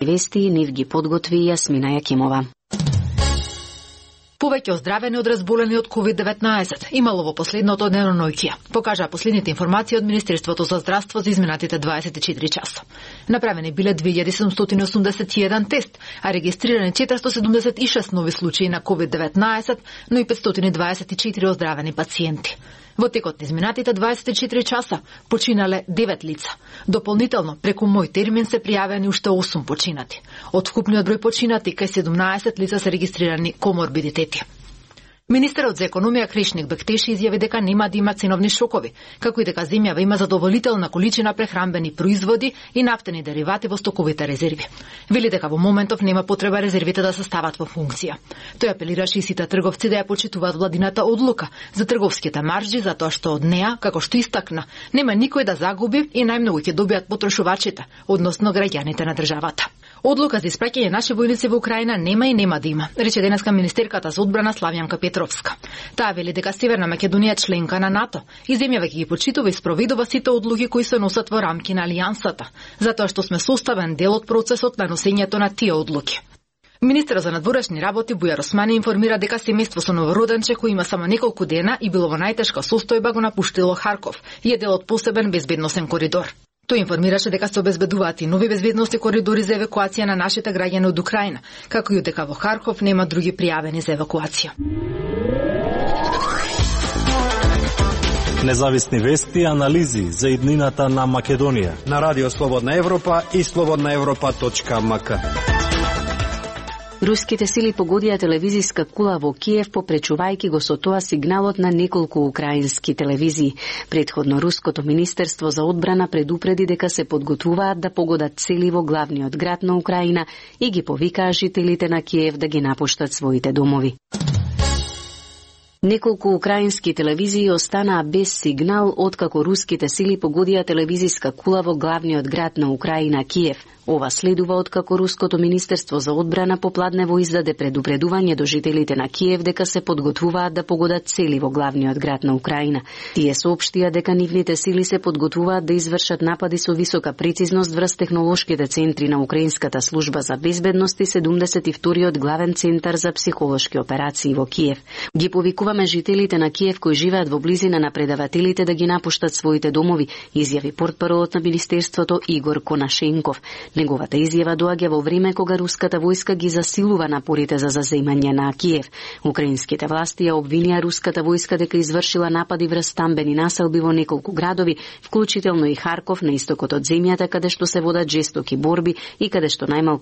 Вести нив ги подготви Јасмина Јакимова. Повеќе оздравени од разболени од COVID-19 имало во последното деноноќие, покажаа последните информации од Министерството за здравство за изминатите 24 часа. Направени биле 2781 тест, а регистрирани 476 нови случаи на COVID-19, но и 524 оздравени пациенти. Во текот на изминатите 24 часа починале 9 лица. Дополнително, преку мој термин се пријавени уште 8 починати. Од вкупниот број починати, кај 17 лица се регистрирани коморбидитети. Министерот за економија Кришник Бектеши изјави дека нема да има ценовни шокови, како и дека земјава има задоволителна количина прехранбени производи и нафтени деривати во стоковите резерви. Вели дека во моментов нема потреба резервите да се стават во функција. Тој апелираше и сите трговци да ја почитуваат владината одлука за трговските маржи, затоа што од неа, како што истакна, нема никој да загуби и најмногу ќе добијат потрошувачите, односно граѓаните на државата. Одлука за испраќање наши војници во Украина нема и нема да има, рече денеска министерката за одбрана Славјанка Петровска. Таа вели дека Северна Македонија е членка на НАТО и земјава ќе ги почитува и спроведува сите одлуки кои се носат во рамки на алијансата, затоа што сме составен дел од процесот на носењето на тие одлуки. Министерот за надворешни работи Бујар Османи информира дека семејство со новороденче кој има само неколку дена и било во најтешка состојба го напуштило Харков и е дел од посебен безбедносен коридор. Тој информираше дека се обезбедуваат и нови безбедности коридори за евакуација на нашите граѓани од Украина, како и дека во Харков нема други пријавени за евакуација. Независни вести и анализи за иднината на Македонија на Радио Слободна Европа и slobodnaevropa.mk. Руските сили погодија телевизиска кула во Киев, попречувајќи го со тоа сигналот на неколку украински телевизии. Претходно Руското министерство за одбрана предупреди дека се подготвуваат да погодат цели во главниот град на Украина и ги повикаа жителите на Киев да ги напуштат своите домови. Неколку украински телевизии останаа без сигнал откако руските сили погодија телевизиска кула во главниот град на Украина, Киев. Ова следува откако Руското министерство за одбрана попладнево издаде предупредување до жителите на Киев дека се подготвуваат да погодат цели во главниот град на Украина. Тие соопштија дека нивните сили се подготвуваат да извршат напади со висока прецизност врз технолошките центри на Украинската служба за безбедност и 72-иот главен центар за психолошки операции во Киев. Ги повикуваме жителите на Киев кои живеат во близина на предавателите да ги напуштат своите домови, изјави портпаролот на министерството Игор Конашенков. Неговата изјава доаѓа во време кога руската војска ги засилува напорите за заземање на Киев. Украинските власти ја обвинија руската војска дека извршила напади врз стамбени населби во неколку градови, вклучително и Харков на истокот од земјата, каде што се водат жестоки борби и каде што најмалку